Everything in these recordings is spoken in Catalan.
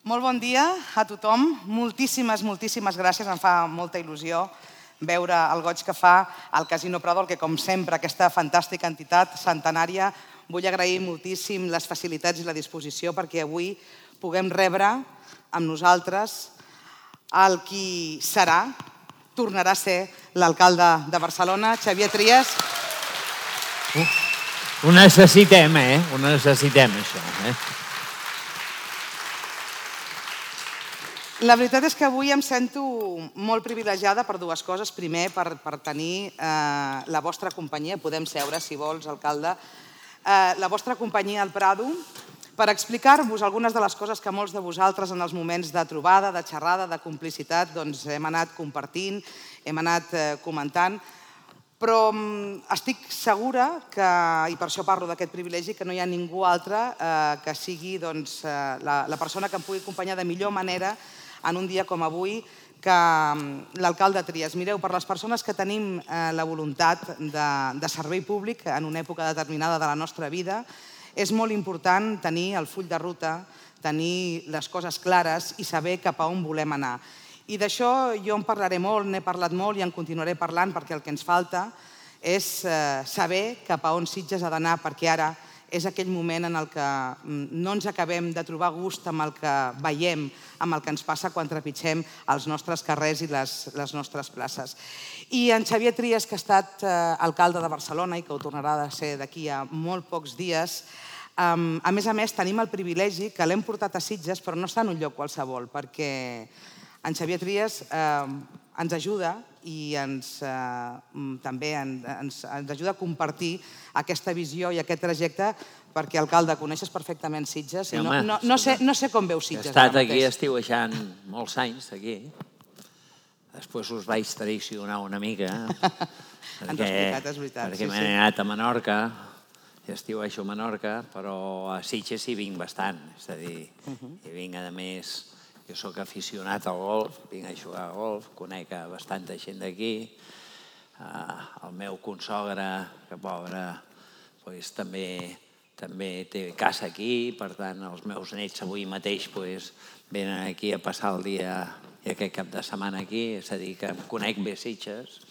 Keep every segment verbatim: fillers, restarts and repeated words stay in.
Molt bon dia a tothom. Moltíssimes, moltíssimes gràcies. Em fa molta il·lusió veure el goig que fa el Casino Prado, que com sempre aquesta fantàstica entitat centenària. Vull agrair moltíssim les facilitats i la disposició perquè avui puguem rebre amb nosaltres el qui serà, tornarà a ser l'alcalde de Barcelona, Xavier Trias. Ho necessitem, eh? Ho necessitem, això, eh? La veritat és que avui em sento molt privilegiada per dues coses. Primer, per, per tenir eh, la vostra companyia, podem seure, si vols, alcalde, eh, la vostra companyia al Prado, per explicar-vos algunes de les coses que molts de vosaltres en els moments de trobada, de xerrada, de complicitat, doncs hem anat compartint, hem anat eh, comentant, però estic segura, que, i per això parlo d'aquest privilegi, que no hi ha ningú altre eh, que sigui doncs, eh, la, la persona que em pugui acompanyar de millor manera en un dia com avui, que l'alcalde Trias. Mireu, per les persones que tenim eh, la voluntat de, de servei públic en una època determinada de la nostra vida, és molt important tenir el full de ruta, tenir les coses clares i saber cap a on volem anar. I d'això jo en parlaré molt, n'he parlat molt i en continuaré parlant perquè el que ens falta és eh, saber cap a on Sitges ha d'anar, perquè ara és aquell moment en el que no ens acabem de trobar gust amb el que veiem, amb el que ens passa quan trepitgem els nostres carrers i les, les nostres places. I en Xavier Trias, que ha estat eh, alcalde de Barcelona i que ho tornarà a ser d'aquí a molt pocs dies, eh, a més a més tenim el privilegi que l'hem portat a Sitges, però no està en un lloc qualsevol, perquè en Xavier Trias eh, ens ajuda i ens, eh, també ens, ens ajuda a compartir aquesta visió i aquest trajecte, perquè, alcalde, coneixes perfectament Sitges. Sí, no, home, no, no, sé, no sé com veus Sitges. He estat aquí estiuejant molts anys, aquí. Després us vaig traicionar una mica. Ens ho has explicat, és veritat. Perquè m'he anat a Menorca, i estiuejo a Menorca, però a Sitges hi vinc bastant. És a dir, hi vinc, a més, jo soc aficionat al golf, vinc a jugar a golf, conec bastanta gent d'aquí. El meu consogre, que pobre, també també té casa aquí, per tant, els meus nets avui mateix venen aquí a passar el dia i aquest cap de setmana aquí, és a dir, que em conec bé Sitges,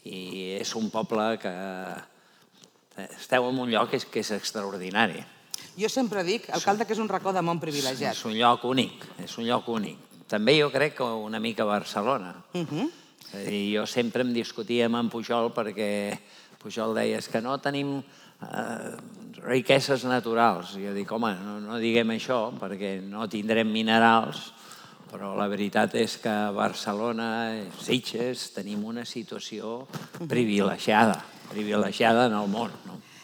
i és un poble que esteu en un lloc que és extraordinari. Jo sempre dic, alcalde, que és un racó de món privilegiat. És un lloc únic, és un lloc únic. També jo crec que una mica Barcelona. Jo sempre em discutia amb en Pujol perquè Pujol deia que no tenim riqueses naturals. Jo dic, home, no diguem això perquè no tindrem minerals, però la veritat és que a Barcelona, Sitges, tenim una situació privilegiada, privilegiada en el món.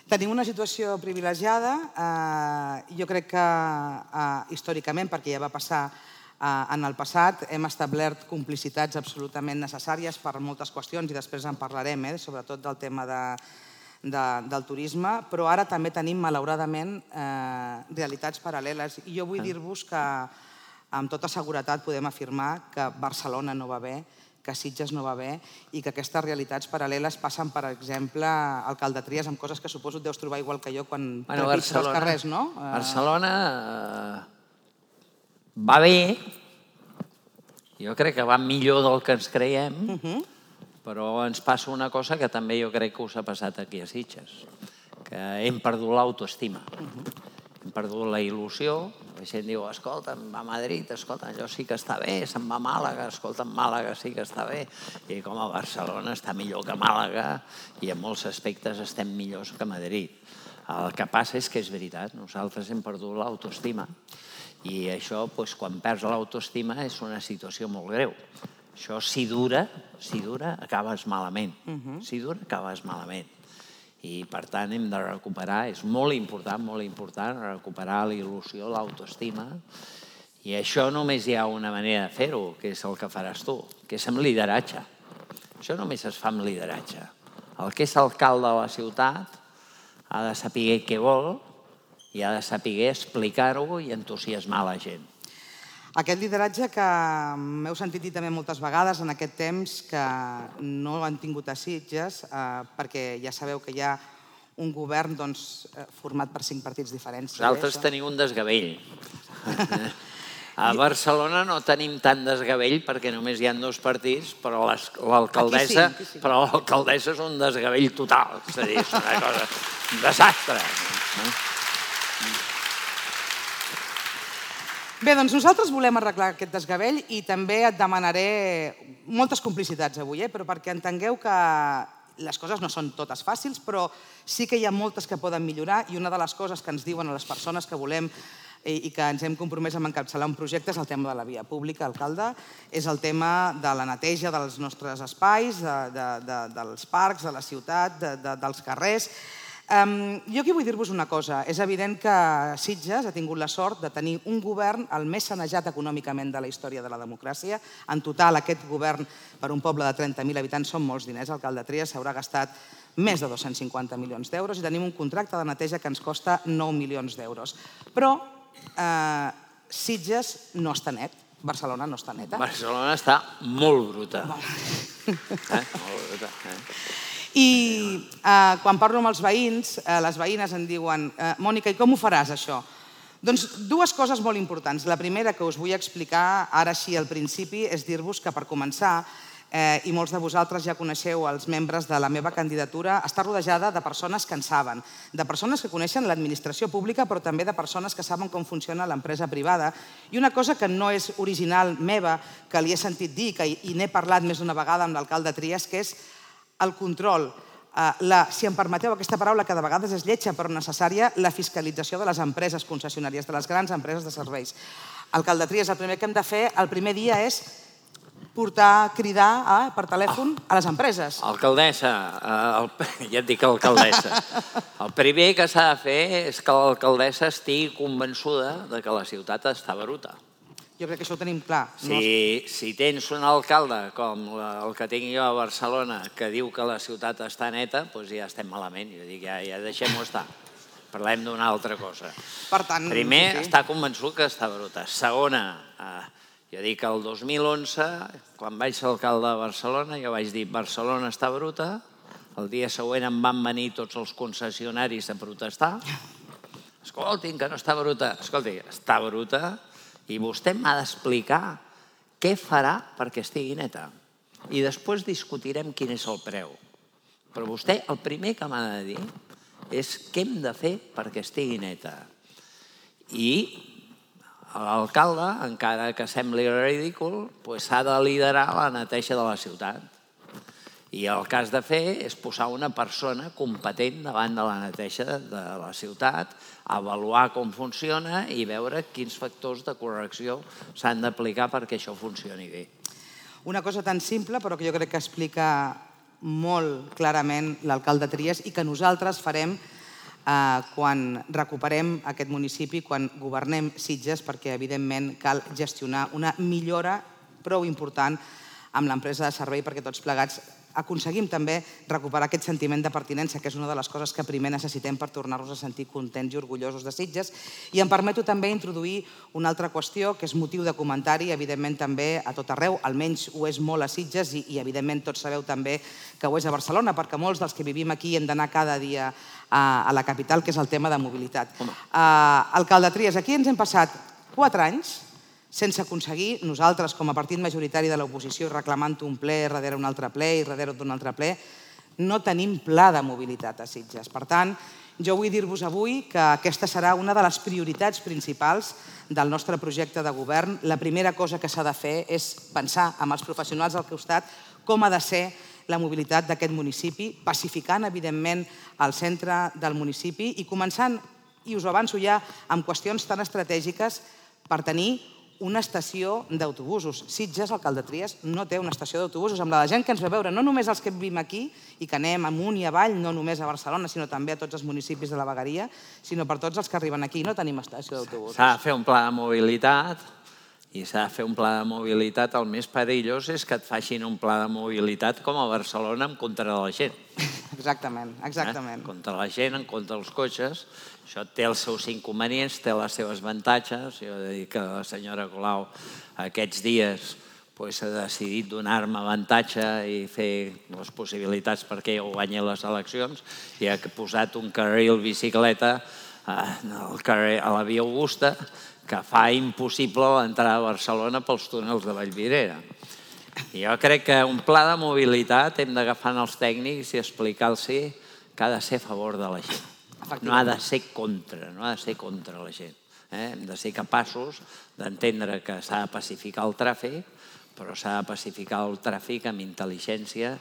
Tenim una situació privilegiada, jo crec que històricament, perquè ja va passar en el passat, hem establert complicitats absolutament necessàries per moltes qüestions i després en parlarem, sobretot del tema del turisme, però ara també tenim, malauradament, realitats paral·leles. I jo vull dir-vos que amb tota seguretat podem afirmar que Barcelona no va bé, que Sitges no va bé i que aquestes realitats paral·leles passen, per exemple, alcalde Trias, amb coses que suposo et deus trobar igual que jo quan trepitges els carrers, no? Barcelona va bé, jo crec que va millor del que ens creiem, però ens passa una cosa que també jo crec que us ha passat aquí a Sitges, que hem perdut l'autoestima, hem perdut la il·lusió. La gent diu, escolta'm, va a Madrid, escolta'm, allò sí que està bé, se'n va a Màlaga, escolta'm, Màlaga sí que està bé. I com a Barcelona està millor que Màlaga i en molts aspectes estem millors que Madrid. El que passa és que és veritat, nosaltres hem perdut l'autoestima i això, quan perds l'autoestima, és una situació molt greu. Això, si dura, si dura, acabes malament. Si dura, acabes malament. I, per tant, hem de recuperar, és molt important, molt important, recuperar la il·lusió, l'autoestima. I això només hi ha una manera de fer-ho, que és el que faràs tu, que és amb lideratge. Això només es fa amb lideratge. El que és alcalde de la ciutat ha de saber què vol i ha de saber explicar-ho i entusiasmar la gent. Aquest lideratge que m'heu sentit dir també moltes vegades en aquest temps que no han tingut a Sitges, perquè ja sabeu que hi ha un govern format per cinc partits diferents. Vosaltres teniu un desgavell. A Barcelona no tenim tant desgavell perquè només hi ha dos partits, però l'alcaldessa però l'alcaldessa és un desgavell total. És a dir, és una cosa... un desastre. Bé, doncs nosaltres volem arreglar aquest desgavell i també et demanaré moltes complicitats avui, eh? Però perquè entengueu que les coses no són totes fàcils, però sí que hi ha moltes que poden millorar i una de les coses que ens diuen a les persones que volem i que ens hem compromès a encapçalar un projecte és el tema de la via pública, alcalde, és el tema de la neteja dels nostres espais, de, de, de, dels parcs, de la ciutat, de, de, dels carrers. Um, jo aquí vull dir-vos una cosa. És evident que Sitges ha tingut la sort de tenir un govern el més sanejat econòmicament de la història de la democràcia. En total, aquest govern, per un poble de trenta mil habitants, són molts diners. Alcalde Trias s'haurà gastat més de dos-cents cinquanta milions d'euros i tenim un contracte de neteja que ens costa nou milions d'euros. Però eh, Sitges no està net. Barcelona no està neta. Barcelona està molt bruta. Eh? Molt bruta, eh? I eh, quan parlo amb els veïns, eh, les veïnes em diuen eh, Mònica, i com ho faràs, això? Doncs dues coses molt importants. La primera que us vull explicar ara així al principi és dir-vos que, per començar, eh, i molts de vosaltres ja coneixeu els membres de la meva candidatura, està rodejada de persones que en saben, de persones que coneixen l'administració pública, però també de persones que saben com funciona l'empresa privada. I una cosa que no és original meva, que li he sentit dir, que, i n'he parlat més d'una vegada amb l'alcalde Trias, que és el control, la, si em permeteu aquesta paraula que de vegades és lletja però necessària, la fiscalització de les empreses concessionàries, de les grans empreses de serveis. Alcalde Trias, el primer que hem de fer el primer dia és portar, cridar eh, per telèfon a les empreses. Alcaldessa, el, ja et dic alcaldessa, el primer que s'ha de fer és que l'alcaldessa estigui convençuda de que la ciutat està bruta. Jo crec que això ho tenim clar. Si, si tens un alcalde com el que tinc jo a Barcelona que diu que la ciutat està neta, doncs ja estem malament. Jo dic, ja, ja deixem-ho estar. Parlem d'una altra cosa. Per tant, primer, sí, sí. està convençut que està bruta. Segona, eh, jo dic que el dos mil onze, quan vaig ser alcalde de Barcelona, jo vaig dir Barcelona està bruta. El dia següent em van venir tots els concessionaris a protestar. Escoltin, que no està bruta. Escolti, està bruta. I vostè m'ha d'explicar què farà perquè estigui neta. I després discutirem quin és el preu. Però vostè el primer que m'ha de dir és què hem de fer perquè estigui neta. I l'alcalde, encara que sembli ridícul, s'ha de liderar la neteja de la ciutat. I el que has de fer és posar una persona competent davant de la neteja de la ciutat, avaluar com funciona i veure quins factors de correcció s'han d'aplicar perquè això funcioni bé. Una cosa tan simple, però que jo crec que explica molt clarament l'alcalde Trias i que nosaltres farem quan recuperem aquest municipi, quan governem Sitges, perquè evidentment cal gestionar una millora prou important amb l'empresa de servei perquè tots plegats aconseguim també recuperar aquest sentiment de pertinença, que és una de les coses que primer necessitem per tornar-nos a sentir contents i orgullosos de Sitges. I em permeto també introduir una altra qüestió que és motiu de comentari, evidentment també a tot arreu, almenys ho és molt a Sitges i evidentment tots sabeu també que ho és a Barcelona, perquè molts dels que vivim aquí hem d'anar cada dia a la capital, que és el tema de mobilitat. Alcalde Trias, aquí ens hem passat quatre anys sense aconseguir, nosaltres com a partit majoritari de l'oposició reclamant un ple darrere un altre ple i darrere d'un altre ple, no tenim pla de mobilitat a Sitges. Per tant, jo vull dir-vos avui que aquesta serà una de les prioritats principals del nostre projecte de govern. La primera cosa que s'ha de fer és pensar amb els professionals al costat com ha de ser la mobilitat d'aquest municipi, pacificant, evidentment, el centre del municipi i començant, i us ho avanço ja, amb qüestions tan estratègiques per tenir una estació d'autobusos. Sitges, alcalde Trias, no té una estació d'autobusos. Amb la gent que ens ve a veure, no només els que vivim aquí i que anem amunt i avall, no només a Barcelona, sinó també a tots els municipis de la vegueria, sinó per tots els que arriben aquí. No tenim estació d'autobusos. S'ha de fer un pla de mobilitat i s'ha de fer un pla de mobilitat. El més perillós és que et facin un pla de mobilitat com a Barcelona en contra de la gent. Exactament, exactament. En contra de la gent, en contra dels cotxes. Això té els seus inconvenients, té les seves avantatges. Jo he de dir que la senyora Colau aquests dies ha decidit donar-me avantatge i fer les possibilitats perquè jo guanyi les eleccions i ha posat un carril bicicleta a la via Augusta que fa impossible l'entrada a Barcelona pels túnels de Vallvidrera. Jo crec que un pla de mobilitat hem d'agafar els tècnics i explicar-los que ha de ser a favor de la gent. No ha de ser contra, no ha de ser contra la gent. Hem de ser capaços d'entendre que s'ha de pacificar el tràfic, però s'ha de pacificar el tràfic amb intel·ligència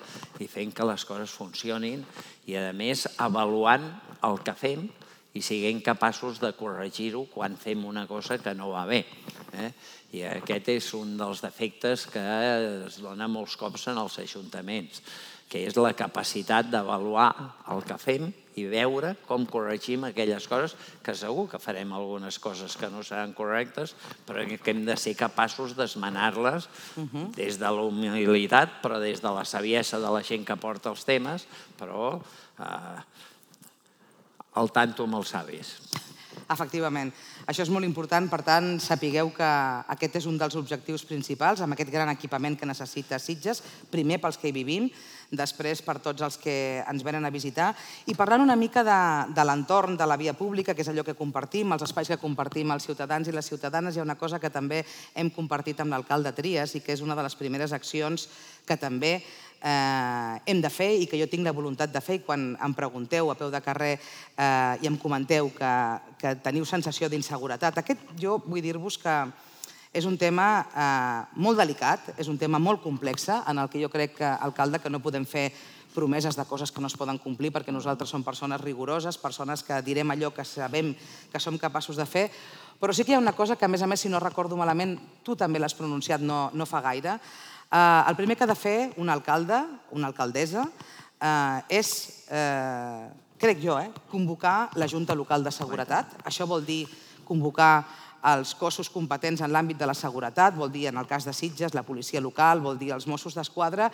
i fent que les coses funcionin i, a més, avaluant el que fem i siguem capaços de corregir-ho quan fem una cosa que no va bé. I aquest és un dels defectes que es dona molts cops en els ajuntaments, que és la capacitat d'avaluar el que fem i veure com corregim aquelles coses, que segur que farem algunes coses que no seran correctes, però que hem de ser capaços d'esmenar-les des de la humilitat, però des de la saviesa de la gent que porta els temes, però al tanto amb els savis. Efectivament. Això és molt important, per tant, sapigueu que aquest és un dels objectius principals, amb aquest gran equipament que necessita Sitges, primer pels que hi vivim, després per tots els que ens venen a visitar, i parlant una mica de l'entorn de la via pública, que és allò que compartim, els espais que compartim els ciutadans i les ciutadanes, hi ha una cosa que també hem compartit amb l'alcalde Trias i que és una de les primeres accions que també hem de fer i que jo tinc la voluntat de fer, i quan em pregunteu a peu de carrer i em comenteu que teniu sensació d'inseguretat, aquest jo vull dir-vos que és un tema molt delicat, és un tema molt complex, en el que jo crec, alcalde, que no podem fer promeses de coses que no es poden complir, perquè nosaltres som persones rigoroses, persones que direm allò que sabem que som capaços de fer, però sí que hi ha una cosa que, a més a més, si no recordo malament, tu també l'has pronunciat no fa gaire. El primer que ha de fer un alcalde, una alcaldessa, és, crec jo, convocar la Junta Local de Seguretat. Això vol dir convocar els cossos competents en l'àmbit de la seguretat, vol dir, en el cas de Sitges, la policia local, vol dir els Mossos d'Esquadra,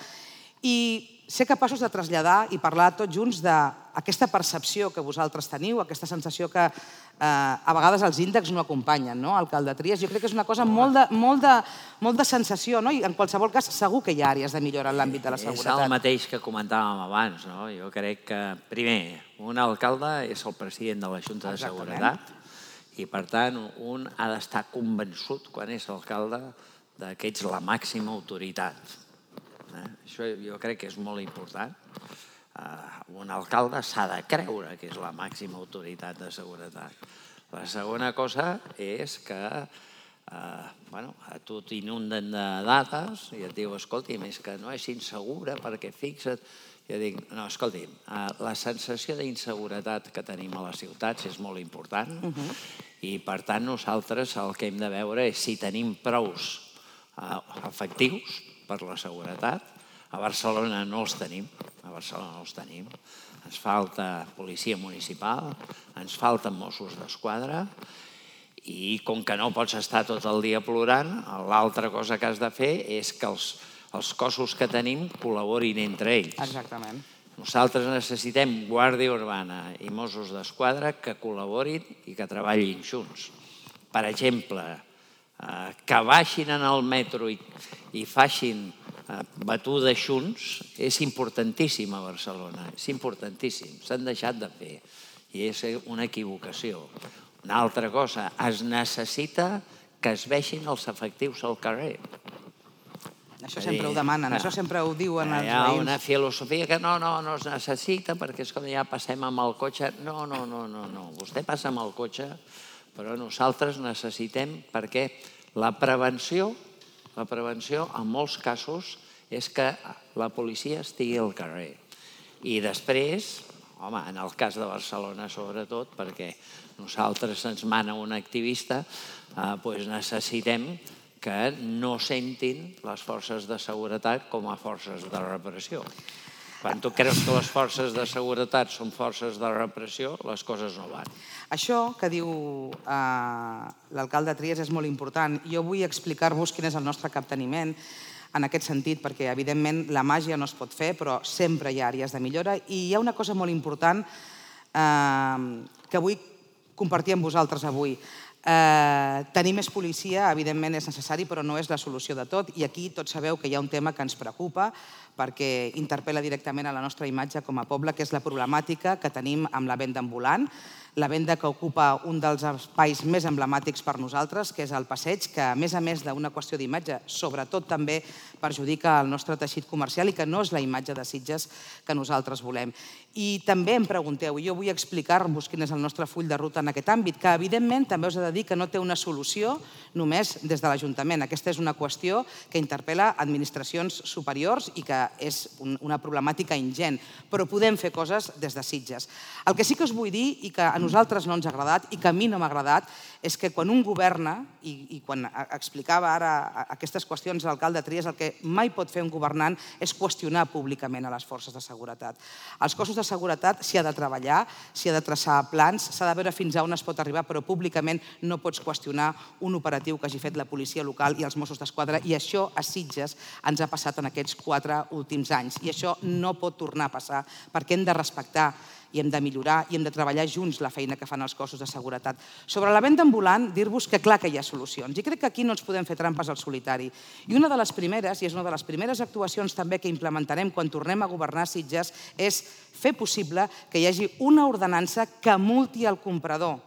i ser capaços de traslladar i parlar tots junts d'aquesta percepció que vosaltres teniu, aquesta sensació que a vegades els índexs no acompanyen, no, alcalde Trias? Jo crec que és una cosa molt de sensació, no? I en qualsevol cas segur que hi ha àrees de millora en l'àmbit de la seguretat. És el mateix que comentàvem abans, no? Jo crec que, primer, un alcalde és el president de la Junta de Seguretat i, per tant, un ha d'estar convençut, quan és alcalde, que ets la màxima autoritat. Això jo crec que és molt important. Un alcalde s'ha de creure que és la màxima autoritat de seguretat. La segona cosa és que a tu t'inunden de dades i et diu, escolti, és que no és insegura perquè fixa't. Jo dic, no, escolti, la sensació d'inseguretat que tenim a les ciutats és molt important i, per tant, nosaltres el que hem de veure és si tenim prous efectius per la seguretat. A Barcelona no els tenim, a Barcelona no els tenim. Ens falta policia municipal, ens falten Mossos d'Esquadra i com que no pots estar tot el dia plorant, l'altra cosa que has de fer és que els cossos que tenim col·laborin entre ells. Exactament. Nosaltres necessitem Guàrdia Urbana i Mossos d'Esquadra que col·laborin i que treballin junts. Per exemple, que baixin en el metro i facin batudes junts és importantíssim a Barcelona, és importantíssim, s'han deixat de fer i és una equivocació. Una altra cosa, es necessita que es vegin els efectius al carrer. Això sempre ho demanen, això sempre ho diuen els veïns. Hi ha una filosofia que no, no, no es necessita perquè és com ja passem amb el cotxe. No, no, no, no, vostè passa amb el cotxe, però nosaltres necessitem perquè la prevenció La prevenció, en molts casos, és que la policia estigui al carrer. I després, home, en el cas de Barcelona sobretot, perquè nosaltres ens mana un activista, doncs necessitem que no sentin les forces de seguretat com a forces de repressió. Quan tu creus que les forces de seguretat són forces de repressió, les coses no van. Això que diu l'alcalde Trias és molt important. Jo vull explicar-vos quin és el nostre capteniment en aquest sentit, perquè evidentment la màgia no es pot fer, però sempre hi ha àrees de millora. I hi ha una cosa molt important que vull compartir amb vosaltres avui. Tenir més policia, evidentment, és necessari, però no és la solució de tot. I aquí tots sabeu que hi ha un tema que ens preocupa perquè interpel·la directament a la nostra imatge com a poble, que és la problemàtica que tenim amb la venda ambulant, la venda que ocupa un dels espais més emblemàtics per nosaltres, que és el passeig, que a més a més d'una qüestió d'imatge, sobretot també perjudica el nostre teixit comercial i que no és la imatge de Sitges que nosaltres volem. I també em pregunteu, i jo vull explicar-vos quin és el nostre full de ruta en aquest àmbit, que evidentment també us he de dir que no té una solució només des de l'Ajuntament. Aquesta és una qüestió que interpel·la administracions superiors i que és una problemàtica ingent, però podem fer coses des de Sitges. El que sí que us vull dir i que a nosaltres no ens ha agradat i que a mi no m'ha agradat és que quan un governa, i quan explicava ara aquestes qüestions l'alcalde Trias, el que mai pot fer un governant és qüestionar públicament a les forces de seguretat. Els cossos de seguretat s'hi ha de treballar, s'hi ha de traçar plans, s'ha de veure fins a on es pot arribar, però públicament no pots qüestionar un operatiu que hagi fet la policia local i els Mossos d'Esquadra, i això a Sitges ens ha passat en aquests quatre últims anys. I això no pot tornar a passar perquè hem de respectar i hem de millorar i hem de treballar junts la feina que fan els cossos de seguretat. Sobre la venda ambulant, dir-vos que clar que hi ha solucions. I crec que aquí no ens podem fer trampes al solitari. I una de les primeres, i és una de les primeres actuacions també que implementarem quan tornem a governar Sitges, és fer possible que hi hagi una ordenança que multi el comprador.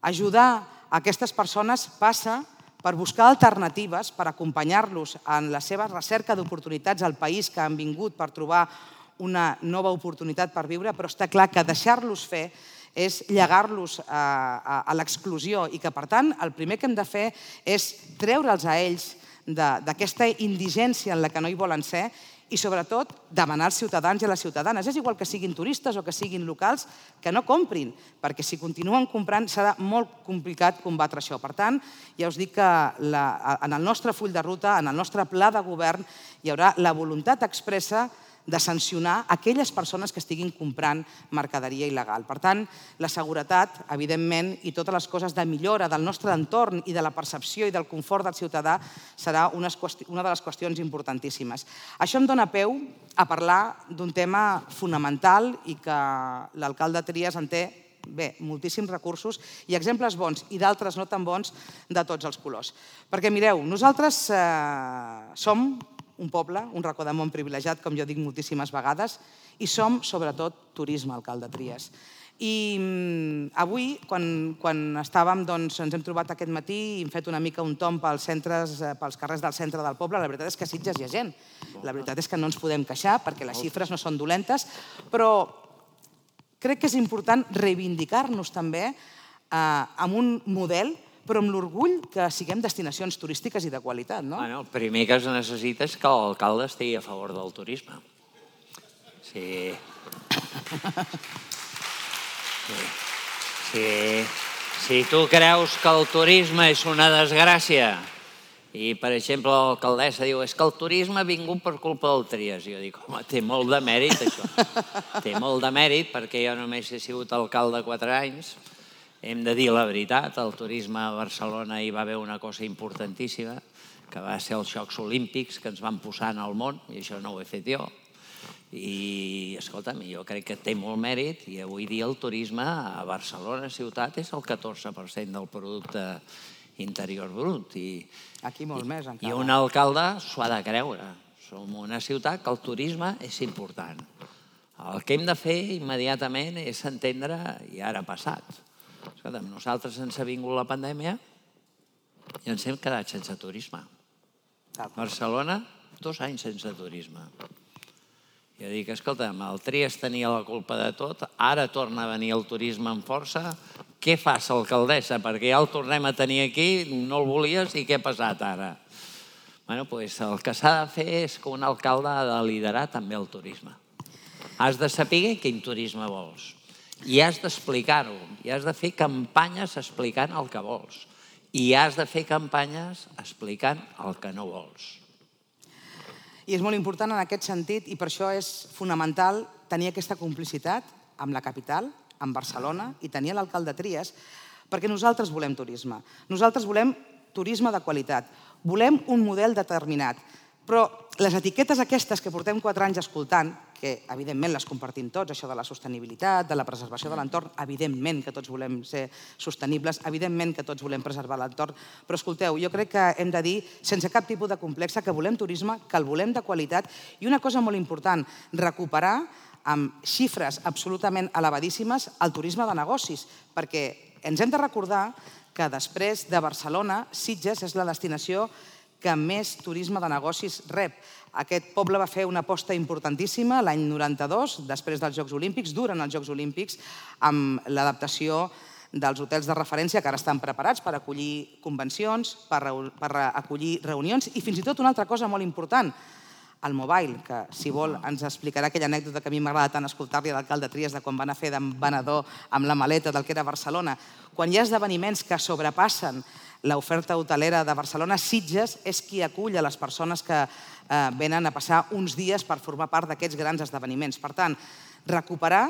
Ajudar aquestes persones passa per buscar alternatives, per acompanyar-los en la seva recerca d'oportunitats al país que han vingut per trobar una nova oportunitat per viure, però està clar que deixar-los fer és llegar-los a l'exclusió i que, per tant, el primer que hem de fer és treure'ls a ells d'aquesta indigència en la que no hi volen ser i, sobretot, demanar als ciutadans i a les ciutadanes, és igual que siguin turistes o que siguin locals, que no comprin, perquè si continuen comprant serà molt complicat combatre això. Per tant, ja us dic que en el nostre full de ruta, en el nostre pla de govern, hi haurà la voluntat expressa de sancionar aquelles persones que estiguin comprant mercaderia il·legal. Per tant, la seguretat, evidentment, i totes les coses de millora del nostre entorn i de la percepció i del confort del ciutadà serà una de les qüestions importantíssimes. Això em dona peu a parlar d'un tema fonamental i que l'alcalde Trias en té bé, moltíssims recursos i exemples bons i d'altres no tan bons de tots els colors. Perquè mireu, nosaltres som un poble, un racó de món privilegiat, com jo dic moltíssimes vegades, i som, sobretot, turisme, alcalde Trias. I avui, quan estàvem, doncs, ens hem trobat aquest matí i hem fet una mica un tomb pels carrers del centre del poble, la veritat és que a Sitges hi ha gent. La veritat és que no ens podem queixar perquè les xifres no són dolentes, però crec que és important reivindicar-nos també amb un model però amb l'orgull que siguem destinacions turístiques i de qualitat, no? El primer que es necessita és que l'alcalde estigui a favor del turisme. Sí. Si tu creus que el turisme és una desgràcia i, per exemple, l'alcaldessa diu és que el turisme ha vingut per culpa del Trias, jo dic, home, té molt de mèrit, això. Té molt de mèrit perquè jo només he sigut alcalde quatre anys. Hem de dir la veritat, el turisme a Barcelona hi va haver una cosa importantíssima, que va ser els Jocs Olímpics que ens van posar en el món, i això no ho he fet jo. I, escolta'm, jo crec que té molt mèrit, i avui dia el turisme a Barcelona ciutat és el catorze per cent del producte interior brut. Aquí molt més, encara. I un alcalde s'ho ha de creure. Som una ciutat que el turisme és important. El que hem de fer immediatament és entendre, i ara ha passat, escolta'm, nosaltres ens ha vingut la pandèmia i ens hem quedat sense turisme. Barcelona, dos anys sense turisme. Jo dic, escolta'm, el Trias tenia la culpa de tot, ara torna a venir el turisme amb força, què fas, alcaldessa? Perquè ja el tornem a tenir aquí, no el volies i què ha passat ara? Bé, doncs el que s'ha de fer és que un alcalde ha de liderar també el turisme. Has de saber quin turisme vols. I has d'explicar-ho, i has de fer campanyes explicant el que vols. I has de fer campanyes explicant el que no vols. I és molt important en aquest sentit, i per això és fonamental tenir aquesta complicitat amb la capital, amb Barcelona, i tenir l'alcalde Trias, perquè nosaltres volem turisme. Nosaltres volem turisme de qualitat. Volem un model determinat. Però les etiquetes aquestes que portem quatre anys escoltant, que evidentment les compartim tots, això de la sostenibilitat, de la preservació de l'entorn, evidentment que tots volem ser sostenibles, evidentment que tots volem preservar l'entorn, però escolteu, jo crec que hem de dir, sense cap tipus de complex, que volem turisme, que el volem de qualitat, i una cosa molt important, recuperar amb xifres absolutament elevadíssimes el turisme de negocis, perquè ens hem de recordar que després de Barcelona, Sitges és la destinació que més turisme de negocis rep. Aquest poble va fer una aposta importantíssima l'any noranta-dos, després dels Jocs Olímpics, durant els Jocs Olímpics, amb l'adaptació dels hotels de referència que ara estan preparats per acollir convencions, per acollir reunions i fins i tot una altra cosa molt important, el mobile, que si vol ens explicarà aquella anècdota que a mi m'agrada tant escoltar-li a l'alcalde Trias de quan van a fer d'embanador amb la maleta del que era Barcelona. Quan hi ha esdeveniments que sobrepassen l'oferta hotelera de Barcelona, Sitges és qui acull a les persones que venen a passar uns dies per formar part d'aquests grans esdeveniments. Per tant, recuperar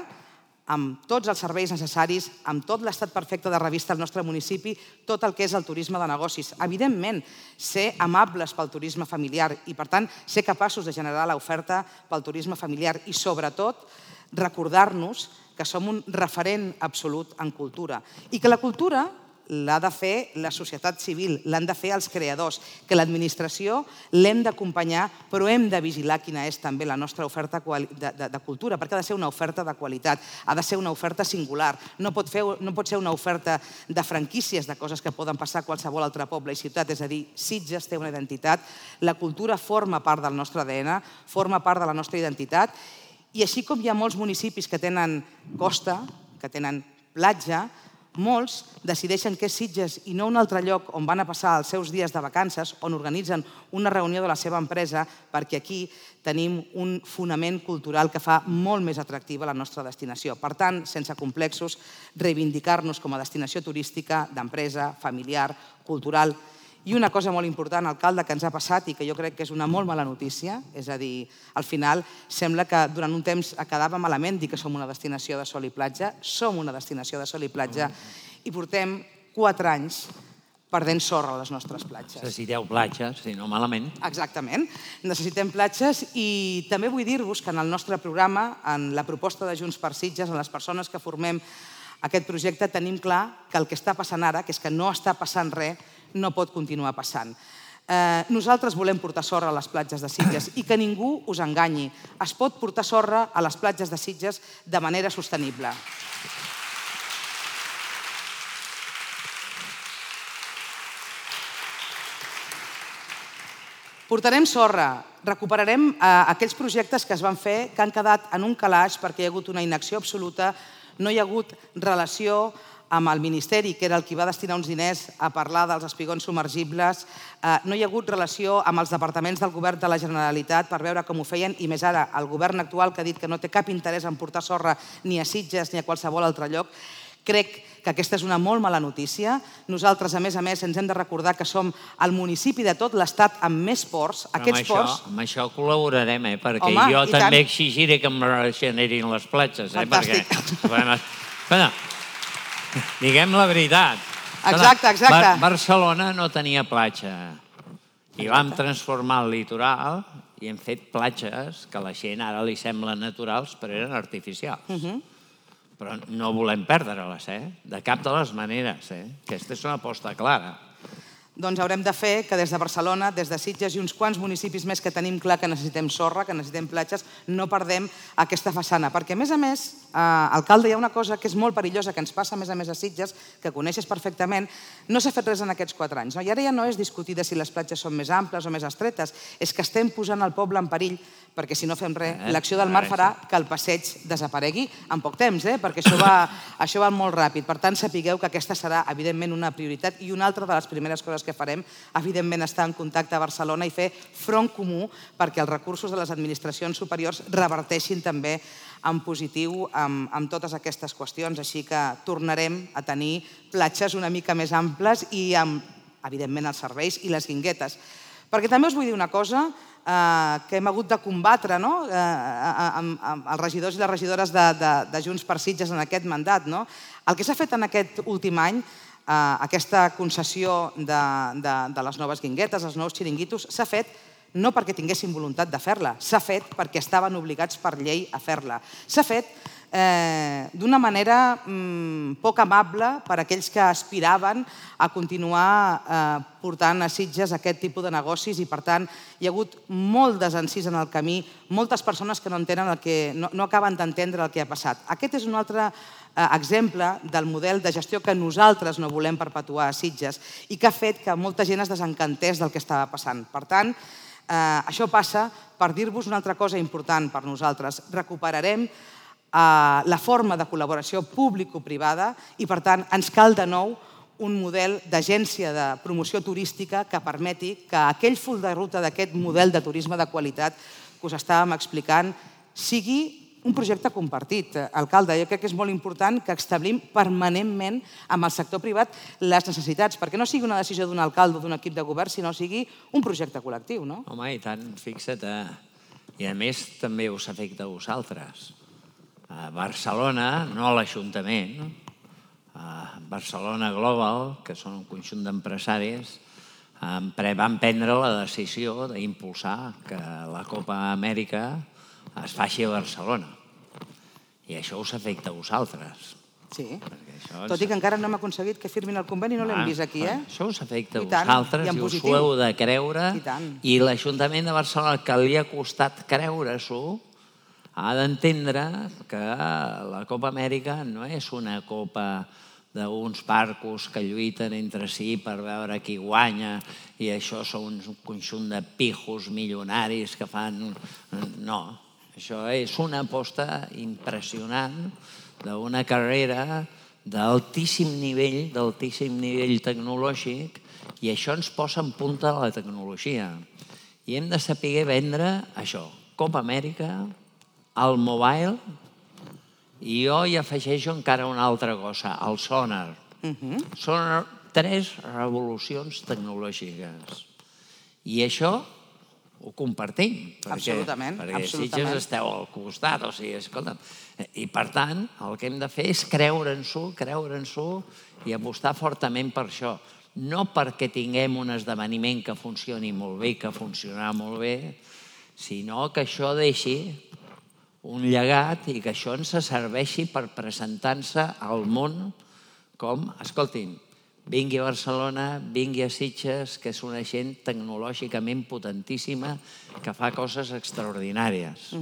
amb tots els serveis necessaris, amb tot l'estat perfecte de revista al nostre municipi, tot el que és el turisme de negocis. Evidentment, ser amables pel turisme familiar i, per tant, ser capaços de generar l'oferta pel turisme familiar i, sobretot, recordar-nos que som un referent absolut en cultura i que la cultura l'ha de fer la societat civil, l'han de fer els creadors, que l'administració l'hem d'acompanyar, però hem de vigilar quina és també la nostra oferta de cultura, perquè ha de ser una oferta de qualitat, ha de ser una oferta singular, no pot ser una oferta de franquícies de coses que poden passar a qualsevol altre poble i ciutat, és a dir, Sitges té una identitat, la cultura forma part del nostre A D N, forma part de la nostra identitat, i així com hi ha molts municipis que tenen costa, que tenen platja, molts decideixen que és Sitges i no un altre lloc on van a passar els seus dies de vacances, on organitzen una reunió de la seva empresa, perquè aquí tenim un fonament cultural que fa molt més atractiva la nostra destinació. Per tant, sense complexos, reivindicar-nos com a destinació turística, d'empresa, familiar, cultural. I una cosa molt important, alcalde, que ens ha passat i que jo crec que és una molt mala notícia, és a dir, al final sembla que durant un temps quedava malament dir que som una destinació de sol i platja, som una destinació de sol i platja i portem quatre anys perdent sorra a les nostres platges. Necessiteu platges, si no malament. Exactament, necessitem platges i també vull dir-vos que en el nostre programa, en la proposta de Junts per Sitges, en les persones que formem aquest projecte, tenim clar que el que està passant ara, que és que no està passant res, no pot continuar passant. Nosaltres volem portar sorra a les platges de Sitges i que ningú us enganyi. Es pot portar sorra a les platges de Sitges de manera sostenible. Portarem sorra, recuperarem aquells projectes que es van fer que han quedat en un calaix perquè hi ha hagut una inacció absoluta, no hi ha hagut relació amb el Ministeri, que era el qui va destinar uns diners a parlar dels espigons submergibles, no hi ha hagut relació amb els departaments del govern de la Generalitat per veure com ho feien, i més ara el govern actual que ha dit que no té cap interès en portar sorra ni a Sitges ni a qualsevol altre lloc. Crec que aquesta és una molt mala notícia. Nosaltres, a més a més, ens hem de recordar que som el municipi de tot l'estat amb més ports. Aquests ports... Amb això col·laborarem, eh? Perquè jo també exigiré que em regenerin les platges. Fantàstic. Diguem la veritat. Exacte, exacte. Barcelona no tenia platja i vam transformar el litoral i hem fet platges que a la gent ara li semblen naturals però eren artificials. Però no volem perdre-les, eh? De cap de les maneres, eh? Aquesta és una aposta clara. Doncs haurem de fer que des de Barcelona, des de Sitges i uns quants municipis més que tenim clar que necessitem sorra, que necessitem platges, no perdem aquesta façana. Perquè, a més a més, alcalde, hi ha una cosa que és molt perillosa, que ens passa a més a més a Sitges, que coneixes perfectament, no s'ha fet res en aquests quatre anys. I ara ja no és discutir de si les platges són més amples o més estretes, és que estem posant el poble en perill, perquè si no fem res, l'acció del mar farà que el passeig desaparegui en poc temps, perquè això va molt ràpid. Per tant, sapigueu que aquesta serà, evidentment, una prioritat i una altra de les primeres coses que farem, evidentment, estar en contacte a Barcelona i fer front comú perquè els recursos de les administracions superiors reverteixin també en positiu amb totes aquestes qüestions. Així que tornarem a tenir platges una mica més amples i amb, evidentment, els serveis i les guinguetes. Perquè també us vull dir una cosa que hem hagut de combatre amb els regidors i les regidores de Junts per Sitges en aquest mandat. El que s'ha fet en aquest últim any, aquesta concessió de les noves guinguetes, els nous xiringuitos, s'ha fet no perquè tinguessin voluntat de fer-la, s'ha fet perquè estaven obligats per llei a fer-la. S'ha fet eh, d'una manera mm, poc amable per a aquells que aspiraven a continuar eh, portant a Sitges aquest tipus de negocis i, per tant, hi ha hagut molt desencís en el camí, moltes persones que no entenen el que, no, no acaben d'entendre el que ha passat. Aquest és un altre eh, exemple del model de gestió que nosaltres no volem perpetuar a Sitges i que ha fet que molta gent es desencantés del que estava passant. Per tant, eh, això passa per dir-vos una altra cosa important per nosaltres. Recuperarem la forma de col·laboració público-privada i, per tant, ens cal de nou un model d'agència de promoció turística que permeti que aquell full de ruta d'aquest model de turisme de qualitat que us estàvem explicant sigui un projecte compartit. Alcalde, jo crec que és molt important que establim permanentment amb el sector privat les necessitats, perquè no sigui una decisió d'un alcalde o d'un equip de govern, sinó sigui un projecte col·lectiu, no? Home, i tant, fixa't. I a més també us afecta a vosaltres. A Barcelona, no a l'Ajuntament, a Barcelona Global, que són un conjunt d'empresaris, van prendre la decisió d'impulsar que la Copa Amèrica es faci a Barcelona. I això us afecta a vosaltres. Sí, tot i que encara no hem aconseguit que firmin el conveni, no l'hem vist aquí, eh? Això us afecta a vosaltres i us ho heu de creure. I l'Ajuntament de Barcelona, que li ha costat creure-s'ho, ha d'entendre que la Copa Amèrica no és una copa d'uns parcos que lluiten entre si per veure qui guanya i això són un conjunt de pijos milionaris que fan... No, això és una aposta impressionant d'una carrera d'altíssim nivell, d'altíssim nivell tecnològic, i això ens posa en punta de la tecnologia. I hem de saber vendre això, Copa Amèrica, el mobile, i jo hi afegeixo encara una altra cosa, el sonar. Són tres revolucions tecnològiques. I això ho compartim. Absolutament. Perquè Sitges esteu al costat, o sigui, escolta'm. I per tant, el que hem de fer és creure'ns-ho, creure'ns-ho i apostar fortament per això. No perquè tinguem un esdeveniment que funcioni molt bé, que funcionarà molt bé, sinó que això deixi un llegat i que això ens serveixi per presentar-se al món com, escoltin, vingui a Barcelona, vingui a Sitges, que és una gent tecnològicament potentíssima que fa coses extraordinàries.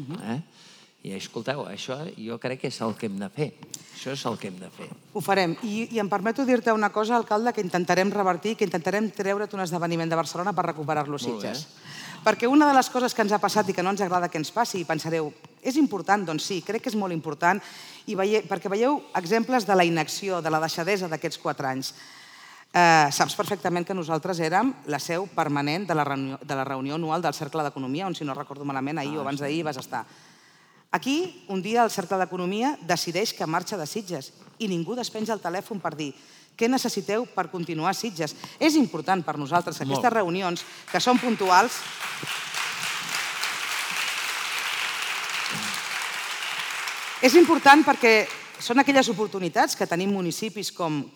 I escolteu, això jo crec que és el que hem de fer. Això és el que hem de fer. Ho farem. I em permeto dir-te una cosa, alcalde, que intentarem revertir, que intentarem treure't un esdeveniment de Barcelona per recuperar-lo a Sitges. Perquè una de les coses que ens ha passat i que no ens agrada que ens passi, i pensareu, és important? Doncs sí, crec que és molt important, perquè veieu exemples de la inacció, de la deixadesa d'aquests quatre anys. Saps perfectament que nosaltres érem la seu permanent de la reunió anual del Cercle d'Economia, on, si no recordo malament, ahir o abans d'ahir vas estar. Aquí, un dia, el Cercle d'Economia decideix que marxa de Sitges i ningú despenja el telèfon per dir què necessiteu per continuar a Sitges. És important per nosaltres que aquestes reunions, que són puntuals, és important perquè són aquelles oportunitats que tenim municipis com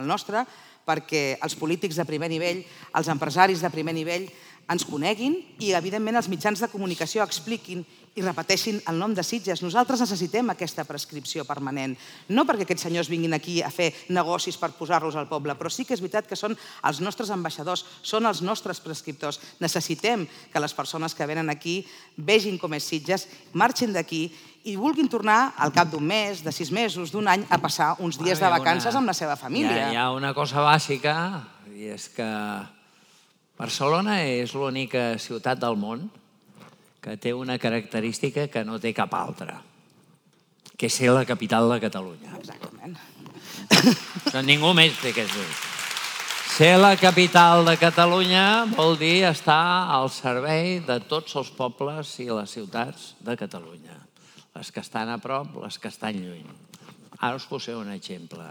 el nostre perquè els polítics de primer nivell, els empresaris de primer nivell ens coneguin i, evidentment, els mitjans de comunicació expliquin i repeteixin el nom de Sitges. Nosaltres necessitem aquesta prescripció permanent, no perquè aquests senyors vinguin aquí a fer negocis per posar-los al poble, però sí que és veritat que són els nostres ambaixadors, són els nostres prescriptors. Necessitem que les persones que venen aquí vegin com és Sitges, marxin d'aquí i vulguin tornar al cap d'un mes, de sis mesos, d'un any, a passar uns dies de vacances amb la seva família. Hi ha una cosa bàsica, i és que Barcelona és l'única ciutat del món que té una característica que no té cap altra, que és ser la capital de Catalunya. Exactament. Ningú més té aquest dir. Ser la capital de Catalunya vol dir estar al servei de tots els pobles i les ciutats de Catalunya. Les que estan a prop, les que estan lluny. Ara us posaré un exemple.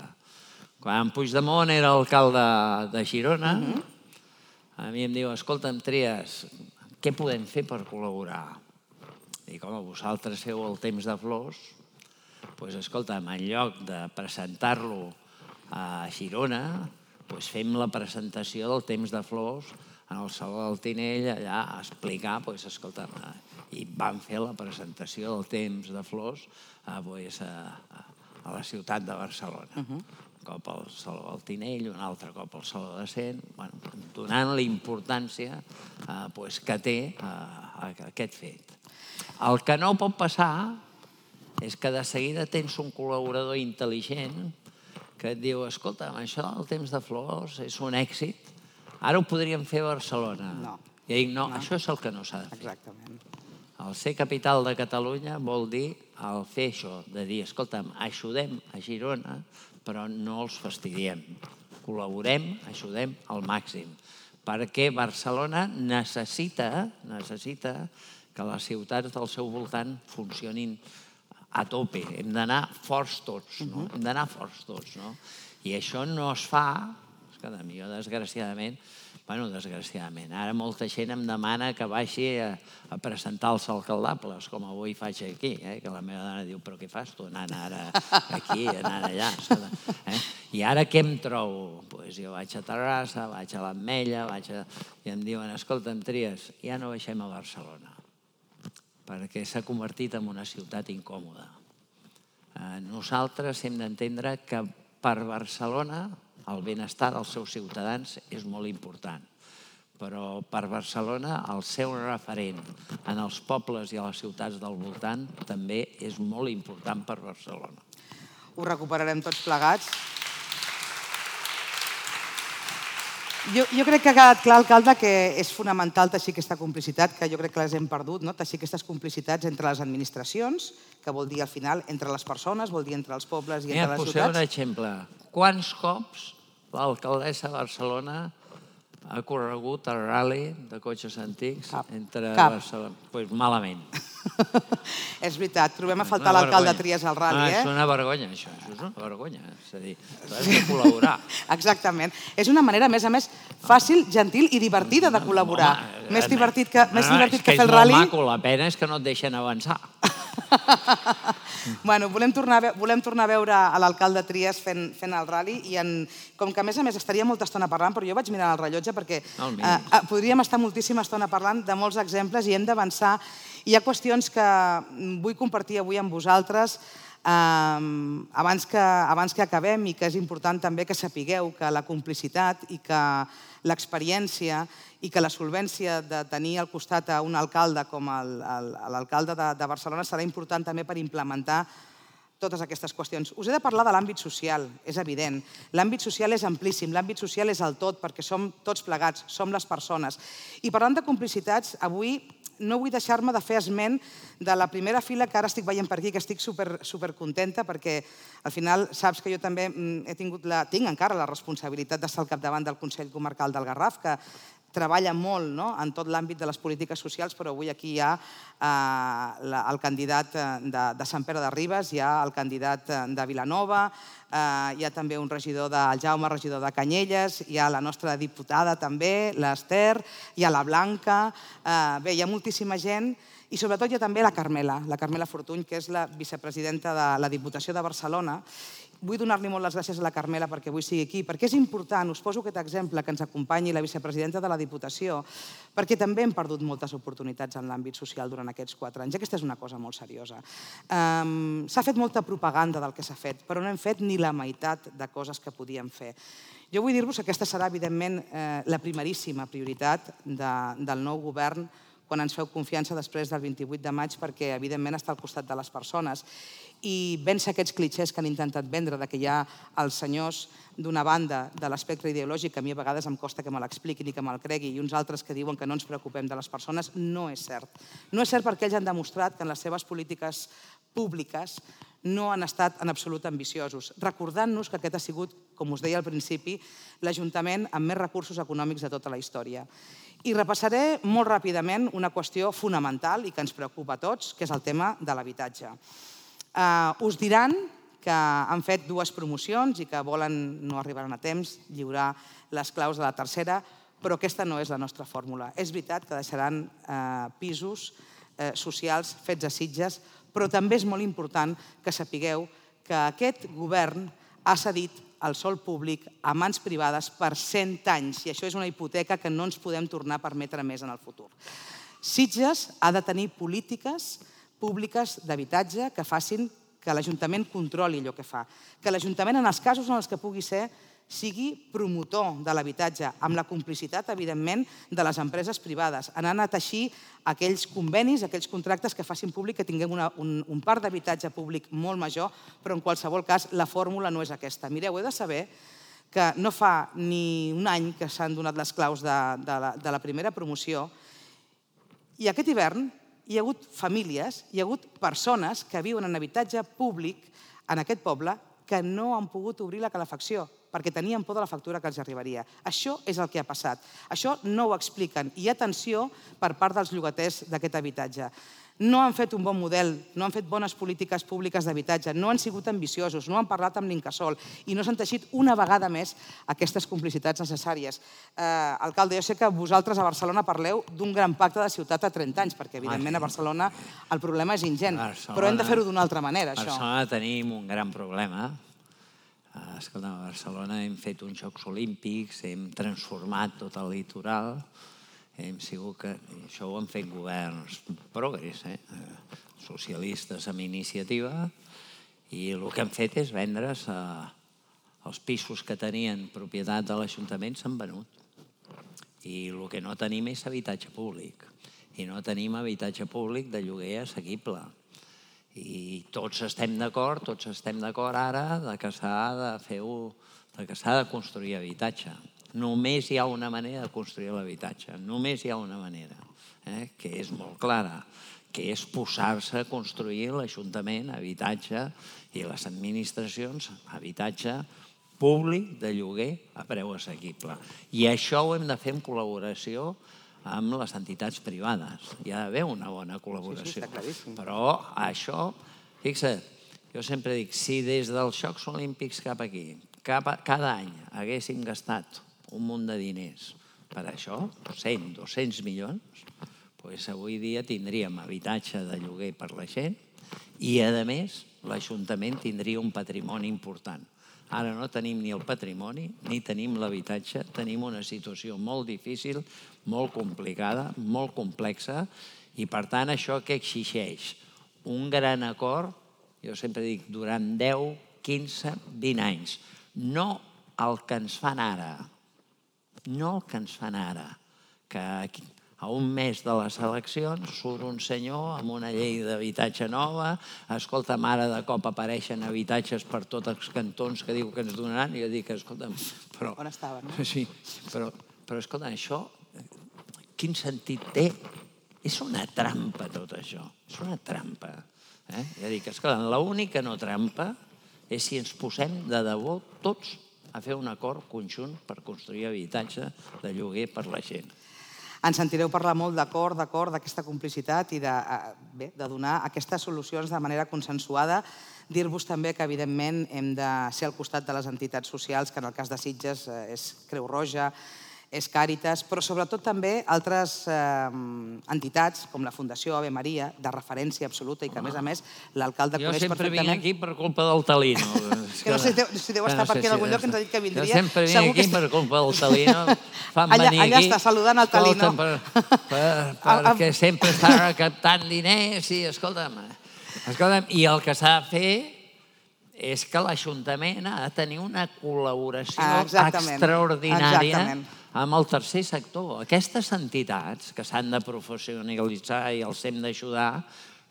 Quan Puigdemont era alcalde de Girona, a mi em diu, escolta'm, Trias, què podem fer per col·laborar? Dic, home, vosaltres feu el temps de flors, doncs escolta'm, en lloc de presentar-lo a Girona, doncs fem la presentació del Temps de Flors en el Saló del Tinell, allà a explicar, doncs, escolta, i van fer la presentació del Temps de Flors a la ciutat de Barcelona. Un cop al Saló del Tinell, un altre cop al Saló de Cent, donant la importància que té aquest fet. El que no pot passar és que de seguida tens un col·laborador intel·ligent que et diu, escolta, això del Temps de Flors és un èxit, ara ho podríem fer a Barcelona. No. I dic, no, això és el que no s'ha de fer. Exactament. El ser capital de Catalunya vol dir el fer això, de dir, escolta'm, ajudem a Girona, però no els fastidiem. Col·laborem, ajudem al màxim. Perquè Barcelona necessita, necessita que les ciutats del seu voltant funcionin a tope. Hem d'anar forts tots, no? Hem d'anar forts tots, no? I això no es fa, escolta, jo desgraciadament, bueno, desgraciadament, ara molta gent em demana que vagi a presentar els alcaldables, com avui faig aquí, que la meva dona diu, però què fas tu anant ara aquí, anant allà? I ara què em trobo? Doncs jo vaig a Terrassa, vaig a l'Ametlla, i em diuen, escolta, em Tries, ja no baixem a Barcelona, perquè s'ha convertit en una ciutat incòmoda. Nosaltres hem d'entendre que per Barcelona el benestar dels seus ciutadans és molt important, però per Barcelona el seu referent en els pobles i a les ciutats del voltant també és molt important per Barcelona. Ho recuperarem tots plegats. Jo crec que ha quedat clar, alcalde, que és fonamental teixir aquesta complicitat, que jo crec que les hem perdut, teixir aquestes complicitats entre les administracions, que vol dir al final entre les persones, vol dir entre els pobles i entre les ciutats. Poseu un exemple. Quants cops l'alcaldessa de Barcelona ha corregut el rally de cotxes antics entre Barcelona? Doncs malament. És veritat, trobem a faltar l'alcalde Trias al rally. És una vergonya, això. És una vergonya. És a dir, has de col·laborar. Exactament. És una manera, a més a més, fàcil, gentil i divertida de col·laborar. Més divertit que fer el rally. És molt maco, la pena és que no et deixen avançar. Bueno, volem tornar a veure l'alcalde Trias fent el rally i com que a més a més estaria molta estona parlant, però jo vaig mirar el rellotge perquè podríem estar moltíssima estona parlant de molts exemples i hem d'avançar. Hi ha qüestions que vull compartir avui amb vosaltres abans que acabem i que és important també que sapigueu que la complicitat i que l'experiència i que la solvència de tenir al costat a un alcalde com l'alcalde de Barcelona serà important també per implementar totes aquestes qüestions. Us he de parlar de l'àmbit social, és evident. L'àmbit social és amplíssim, l'àmbit social és el tot, perquè som tots plegats, som les persones. I parlant de complicitats, avui no vull deixar-me de fer esment de la primera fila que ara estic veient per aquí, que estic supercontenta, perquè al final saps que jo també he tingut la, tinc encara la responsabilitat d'estar al capdavant del Consell Comarcal del Garraf, que treballa molt en tot l'àmbit de les polítiques socials, però avui aquí hi ha el candidat de Sant Pere de Ribes, hi ha el candidat de Vilanova, hi ha també un regidor del Jaume, regidor de Canyelles, hi ha la nostra diputada també, l'Ester, hi ha la Blanca, bé, hi ha moltíssima gent, i sobretot hi ha també la Carmela, la Carmela Fortuny, que és la vicepresidenta de la Diputació de Barcelona. Vull donar-li molt les gràcies a la Carmela perquè avui sigui aquí, perquè és important, us poso aquest exemple, que ens acompanyi la vicepresidenta de la Diputació, perquè també hem perdut moltes oportunitats en l'àmbit social durant aquests quatre anys. Aquesta és una cosa molt seriosa. S'ha fet molta propaganda del que s'ha fet, però no hem fet ni la meitat de coses que podíem fer. Jo vull dir-vos que aquesta serà, evidentment, la primeríssima prioritat del nou govern quan ens feu confiança després del vint-i-vuit de maig, perquè, evidentment, està al costat de les persones. I vèncer aquests clixés que han intentat vendre que hi ha els senyors d'una banda de l'espectre ideològic, que a mi a vegades em costa que me l'expliquin i que me'l cregui, i uns altres que diuen que no ens preocupem de les persones, no és cert. No és cert perquè ells han demostrat que en les seves polítiques públiques no han estat en absolut ambiciosos, recordant-nos que aquest ha sigut, com us deia al principi, l'Ajuntament amb més recursos econòmics de tota la història. I repassaré molt ràpidament una qüestió fonamental i que ens preocupa a tots, que és el tema de l'habitatge. Us diran que han fet dues promocions i que volen, no arribaran a temps, lliurar les claus de la tercera, però aquesta no és la nostra fórmula. És veritat que deixaran pisos socials fets a Sitges, però també és molt important que sapigueu que aquest govern ha cedit el sòl públic a mans privades per cent anys, i això és una hipoteca que no ens podem tornar a permetre més en el futur. Sitges ha de tenir polítiques públiques d'habitatge que facin que l'Ajuntament controli allò que fa, que l'Ajuntament, en els casos en els que pugui ser, sigui promotor de l'habitatge, amb la complicitat, evidentment, de les empreses privades, anant a teixir aquells convenis, aquells contractes que facin públic que tinguem un parc d'habitatge públic molt major, però en qualsevol cas la fórmula no és aquesta. Mireu, he de saber que no fa ni un any que s'han donat les claus de la primera promoció i aquest hivern hi ha hagut famílies, hi ha hagut persones que viuen en habitatge públic en aquest poble que no han pogut obrir la calefacció perquè tenien por de la factura que els arribaria. Això és el que ha passat. Això no ho expliquen. Hi ha tensió per part dels llogaters d'aquest habitatge. No han fet un bon model, no han fet bones polítiques públiques d'habitatge, no han sigut ambiciosos, no han parlat amb l'Incasòl i no s'han teixit una vegada més aquestes complicitats necessàries. Alcalde, jo sé que vosaltres a Barcelona parleu d'un gran pacte de ciutat a trenta anys, perquè evidentment a Barcelona el problema és ingent, però hem de fer-ho d'una altra manera, això. A Barcelona tenim un gran problema. Escolta, a Barcelona hem fet uns Jocs Olímpics, hem transformat tot el litoral, hem sigut que... Això ho han fet governs progres, socialistes amb iniciativa, i el que han fet és vendre's els pisos que tenien propietat de l'Ajuntament s'han venut. I el que no tenim és habitatge públic. I no tenim habitatge públic de lloguer assequible. I tots estem d'acord, tots estem d'acord ara que s'ha de fer-ho, que s'ha de construir habitatge. Només hi ha una manera de construir l'habitatge, només hi ha una manera, que és molt clara, que és posar-se a construir l'Ajuntament, habitatge, i les administracions, habitatge públic de lloguer a preu assequible. I això ho hem de fer en col·laboració amb les entitats privades. Hi ha d'haver una bona col·laboració. Però això, fixa't, jo sempre dic, si des dels Jocs Olímpics cap aquí, cada any haguéssim gastat un munt de diners per això, cent, dos-cents milions, doncs avui dia tindríem habitatge de lloguer per la gent i, a més, l'Ajuntament tindria un patrimoni important. Ara no tenim ni el patrimoni ni tenim l'habitatge, tenim una situació molt difícil, molt complicada, molt complexa, i per tant això què exigeix? Un gran acord, jo sempre dic, durant deu, quinze, vint anys. No el que ens fan ara, no el que ens fan ara, que a un mes de les eleccions surt un senyor amb una llei d'habitatge nova, escolta, ara de cop apareixen habitatges per tots els cantons que diu que ens donaran, i jo dic, escolta'm, però... On estaven? Sí, però, escolta, això, quin sentit té? És una trampa tot això, és una trampa. Jo dic, escolta, l'única no trampa és si ens posem de debò tots a fer un acord conjunt per construir habitatge de lloguer per la gent. Ens sentireu parlar molt d'acord, d'acord, d'aquesta complicitat i de donar aquestes solucions de manera consensuada. Dir-vos també que, evidentment, hem de ser al costat de les entitats socials, que en el cas de Sitges és Creu Roja, és Càritas, però sobretot també altres entitats, com la Fundació Ave Maria, de referència absoluta i que, a més a més, l'alcalde coneix perfectament... Jo sempre vinc aquí per culpa del Talino. Que no sé si deu estar per aquí en algun lloc que ens ha dit que vindria. Jo sempre vinc aquí per culpa del Talino. Fan venir aquí... Allà està, saludant el Talino. Perquè sempre està captant diners i, escolta'm, i el que s'ha de fer és que l'Ajuntament ha de tenir una col·laboració extraordinària amb el tercer sector. Aquestes entitats que s'han de professionalitzar i els hem d'ajudar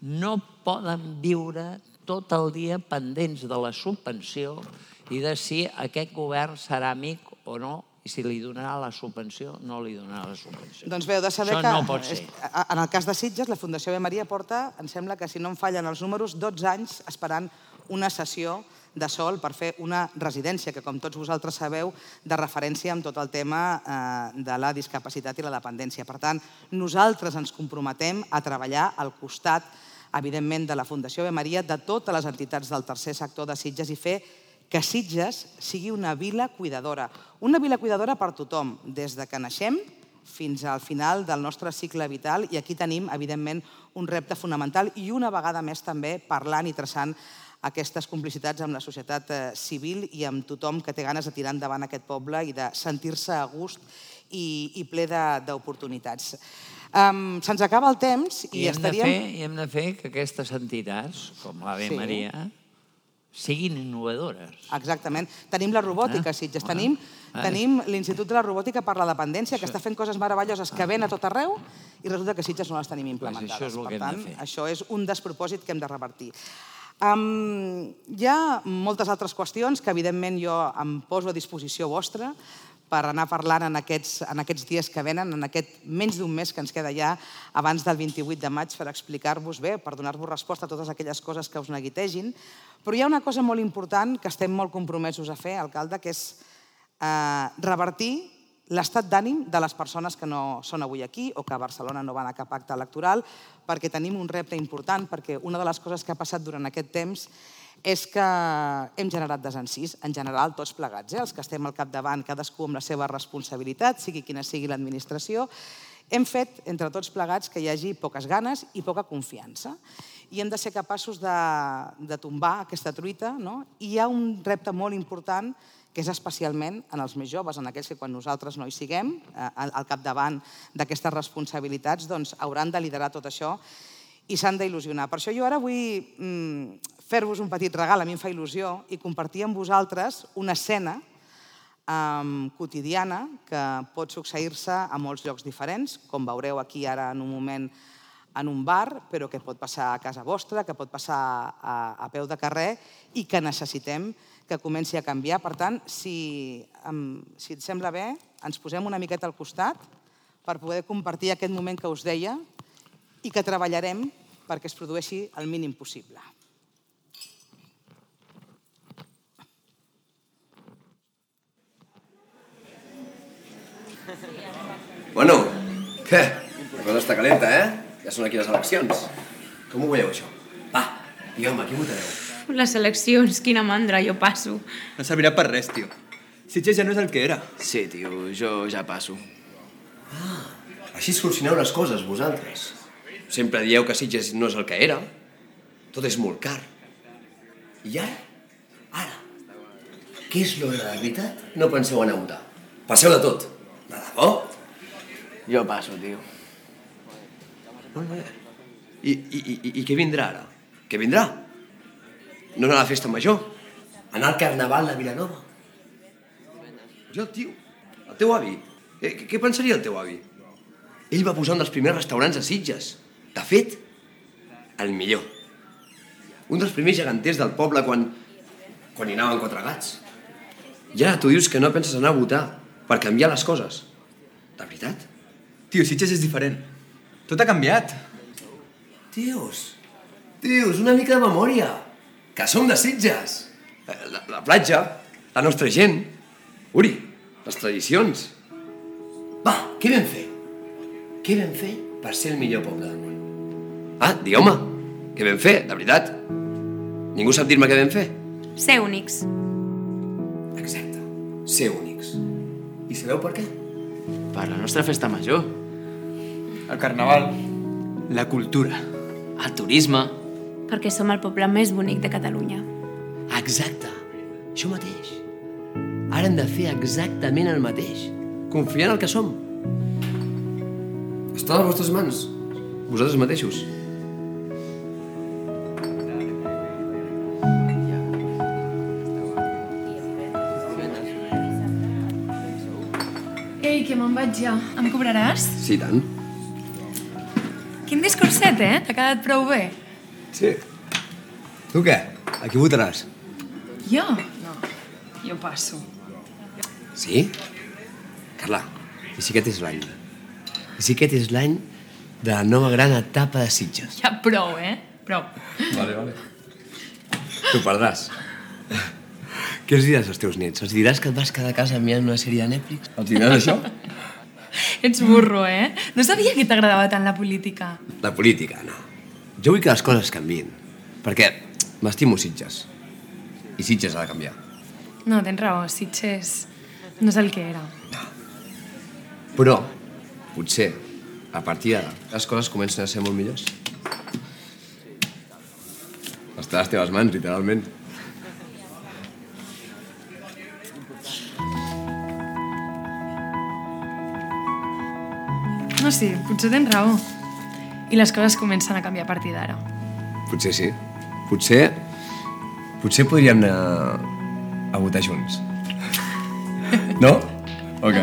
no poden viure tot el dia pendents de la subvenció i de si aquest govern serà amic o no, i si li donarà la subvenció o no li donarà la subvenció. Doncs bé, heu de saber que en el cas de Sitges, la Fundació Ave Maria porta, em sembla que si no em fallen els números, dotze anys esperant una sessió de sòl per fer una residència, que com tots vosaltres sabeu, de referència amb tot el tema de la discapacitat i la dependència. Per tant, nosaltres ens comprometem a treballar al costat, evidentment, de la Fundació Ave Maria, de totes les entitats del tercer sector de Sitges i fer que Sitges sigui una vila cuidadora. Una vila cuidadora per tothom, des de que naixem fins al final del nostre cicle vital, i aquí tenim, evidentment, un repte fonamental i una vegada més també parlant i traçant aquestes complicitats amb la societat civil i amb tothom que té ganes de tirar endavant aquest poble i de sentir-se a gust i ple d'oportunitats. Se'ns acaba el temps i estaríem... I hem de fer que aquestes entitats, com l'Ave Maria, siguin innovadores. Exactament. Tenim la robòtica a Sitges, tenim l'Institut de la Robòtica per la Dependència, que està fent coses meravelloses que ven a tot arreu i resulta que a Sitges no les tenim implementades. Per tant, això és un despropòsit que hem de revertir. Hi ha moltes altres qüestions que, evidentment, jo em poso a disposició vostra per anar parlant en aquests dies que venen, en aquest menys d'un mes que ens queda ja abans del vint-i-vuit de maig per explicar-vos bé, per donar-vos resposta a totes aquelles coses que us neguitegin. Però hi ha una cosa molt important que estem molt compromesos a fer, alcalde, que és revertir l'estat d'ànim de les persones que no són avui aquí o que a Barcelona no van a cap acte electoral, perquè tenim un repte important, perquè una de les coses que ha passat durant aquest temps és que hem generat desencís, en general, tots plegats, els que estem al capdavant, cadascú amb la seva responsabilitat, sigui quina sigui l'administració, hem fet, entre tots plegats, que hi hagi poques ganes i poca confiança. I hem de ser capaços de tombar aquesta truita. I hi ha un repte molt important, que és especialment en els més joves, en aquells que quan nosaltres no hi siguem, al capdavant d'aquestes responsabilitats, doncs hauran de liderar tot això i s'han d'il·lusionar. Per això jo ara vull fer-vos un petit regal, a mi em fa il·lusió, i compartir amb vosaltres una escena quotidiana que pot succeir-se a molts llocs diferents, com veureu aquí ara en un moment en un bar, però que pot passar a casa vostra, que pot passar a peu de carrer i que necessitem que comenci a canviar. Per tant, si et sembla bé, ens posem una miqueta al costat per poder compartir aquest moment que us deia i que treballarem perquè es produeixi el mínim possible. Bueno, què? La cosa està calenta, eh? Ja són aquí les eleccions. Com ho veieu, això? Va, digueu-me, qui votareu? Les eleccions, quina mandra, jo passo. No servirà per res, tio. Sitges ja no és el que era. Sí, tio, jo ja passo. Ah, així solucioneu les coses, vosaltres. Sempre dieu que Sitges no és el que era. Tot és molt car. I ara? Ara? Què és lo de la veritat? No penseu anar a votar. Passeu de tot. De debò? Jo passo, tio. Molt bé. I, i, i, i què vindrà ara? Què vindrà? No anar a la festa major? Anar al carnaval a Vilanova? Jo, tio, el teu avi, eh, què pensaria el teu avi? Ell va posar un dels primers restaurants a Sitges. De fet, el millor. Un dels primers geganters del poble quan, quan hi anaven quatre gats. I ara tu dius que no penses anar a votar per canviar les coses. De veritat? Tio, Sitges és diferent. Tot ha canviat. Tios, tios, una mica de memòria. Que som de Sitges. La, la platja, la nostra gent. Uri, les tradicions. Va, què vam fer? Què vam fer per ser el millor poble del món? Ah, digueu-me, què vam fer, de veritat? Ningú sap dir-me què vam fer? Ser únics. Exacte, ser únics. I sabeu per què? Per la nostra festa major. El carnaval. La cultura. El turisme. Perquè som el poble més bonic de Catalunya. Exacte, això mateix. Ara hem de fer exactament el mateix. Confiar en el que som. Està a les vostres mans. Vosaltres mateixos. Ei, que me'n vaig ja. Em cobraràs? Sí, tant. Quin discurset, eh? T'ha quedat prou bé. Sí. Tu què? A qui votaràs? Jo? No, jo passo. Sí? Carla, i si aquest és l'any? I si aquest és l'any de la nova gran etapa de Sitges? Ja prou, eh? Prou. Vale, vale. Tu perdràs. Què els diràs als teus nets? Els diràs que et vas quedar a casa mirant una sèrie de Netflix? Els diràs això? Ets burro, eh? No sabia que t'agradava tant la política. La política, no. Jo vull que les coses canviïn. Perquè m'estimo Sitges. I Sitges ha de canviar. No, tens raó. Sitges no és el que era. No. Però, potser, a partir d'ara, les coses comencen a ser molt millors. Està a les teves mans, literalment. No, sí, potser tens raó. I les coses comencen a canviar a partir d'ara. Potser sí. Potser... Potser podríem anar a votar junts. No? Ok.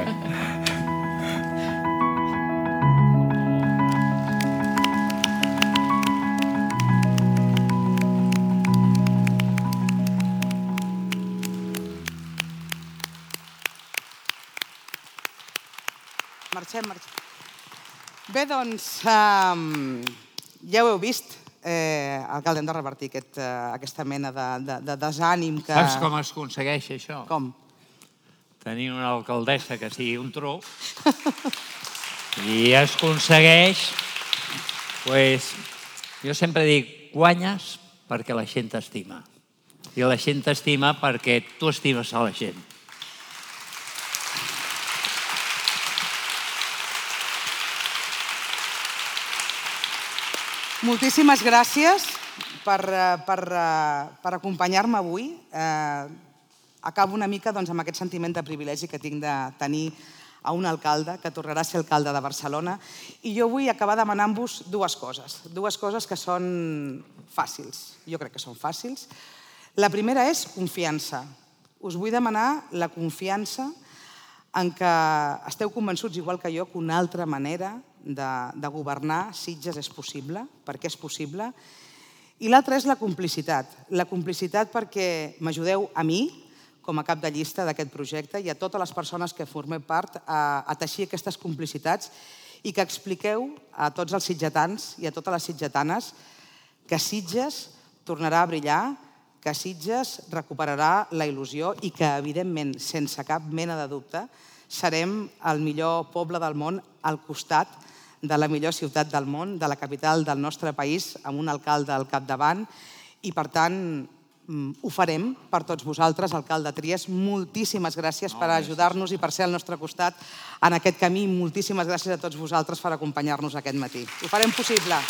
Marxem, marxem. Bé, doncs, um, ja ho heu vist, eh, alcalde, hem de revertir aquest, uh, aquesta mena de, de, de desànim que... Saps com es aconsegueix això? Com? Tenir una alcaldessa que sigui un tro i es aconsegueix, pues, jo sempre dic, guanyes perquè la gent t'estima. I la gent t'estima perquè tu estimes a la gent. Moltíssimes gràcies per, per, per acompanyar-me avui. Eh, acabo una mica doncs, amb aquest sentiment de privilegi que tinc de tenir a un alcalde que tornarà a ser alcalde de Barcelona. I jo vull acabar demanant-vos dues coses, dues coses que són fàcils. Jo crec que són fàcils. La primera és confiança. Us vull demanar la confiança en què esteu convençuts, igual que jo, que una altra manera de, de governar Sitges és possible, perquè és possible. I l'altra és la complicitat. La complicitat perquè m'ajudeu a mi, com a cap de llista d'aquest projecte, i a totes les persones que formem part a, a teixir aquestes complicitats i que expliqueu a tots els sitgetans i a totes les sitgetanes que Sitges tornarà a brillar, que Sitges recuperarà la il·lusió i que, evidentment, sense cap mena de dubte, serem el millor poble del món al costat de la millor ciutat del món, de la capital del nostre país, amb un alcalde al capdavant, i, per tant, ho farem per tots vosaltres, alcalde Trias. Moltíssimes gràcies per ajudar-nos i per ser al nostre costat en aquest camí. Moltíssimes gràcies a tots vosaltres per acompanyar-nos aquest matí. Ho farem possible.